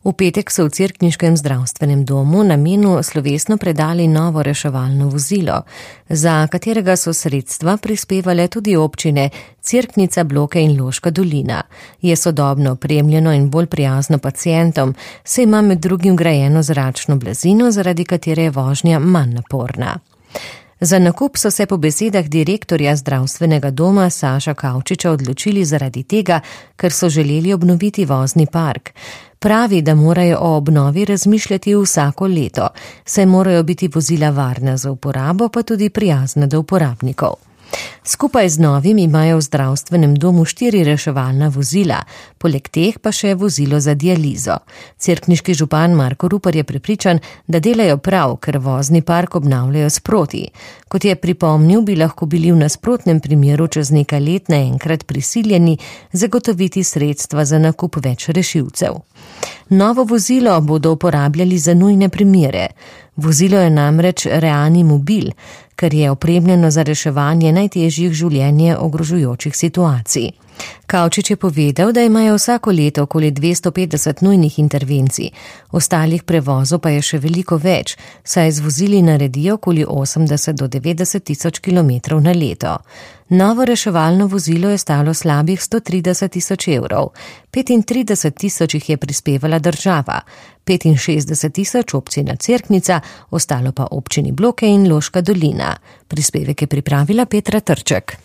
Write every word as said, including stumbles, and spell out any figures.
V petek so v cerkniškem zdravstvenem domu namenu slovesno predali novo reševalno vozilo, za katerega so sredstva prispevale tudi občine Cerknica, Bloke in Loška dolina. Je sodobno opremljeno in bolj prijazno pacientom, saj ima med drugim grajeno zračno blazino, zaradi katere je vožnja manj naporna. Za nakup so se po besedah direktorja zdravstvenega doma Saša Kavčiča odločili zaradi tega, ker so želeli obnoviti vozni park. Pravi, da morajo o obnovi razmišljati vsako leto, saj morajo biti vozila varna za uporabo, pa tudi prijazna do uporabnikov. Skupaj z novim imajo v zdravstvenem domu štiri reševalna vozila, poleg teh pa še vozilo za dializo. Cerkniški župan Marko Rupar je prepričan, da delajo prav, ker vozni park obnavljajo sproti. Kot je pripomnil, bi lahko bili v nasprotnem primeru čez nekaj let naenkrat prisiljeni zagotoviti sredstva za nakup več rešilcev. Novo vozilo bodo uporabljali za nujne primere. Vozilo je namreč reanimobil, ker je opremljeno za reševanje najtežjih življenje ogrožujočih situacij. Kavčič je povedal, da imajo vsako leto okoli dvesto petdeset nujnih intervencij, ostalih prevozov pa je še veliko več, saj z vozili naredijo okoli osemdeset do devetdeset tisoč kilometrov na leto. Novo reševalno vozilo je stalo slabih sto trideset tisoč evrov, petintrideset tisoč jih je prispevala država, petinšestdeset tisoč občina Cerknica, ostalo pa občini Bloke in Loška dolina. Prispevek je pripravila Petra Trček.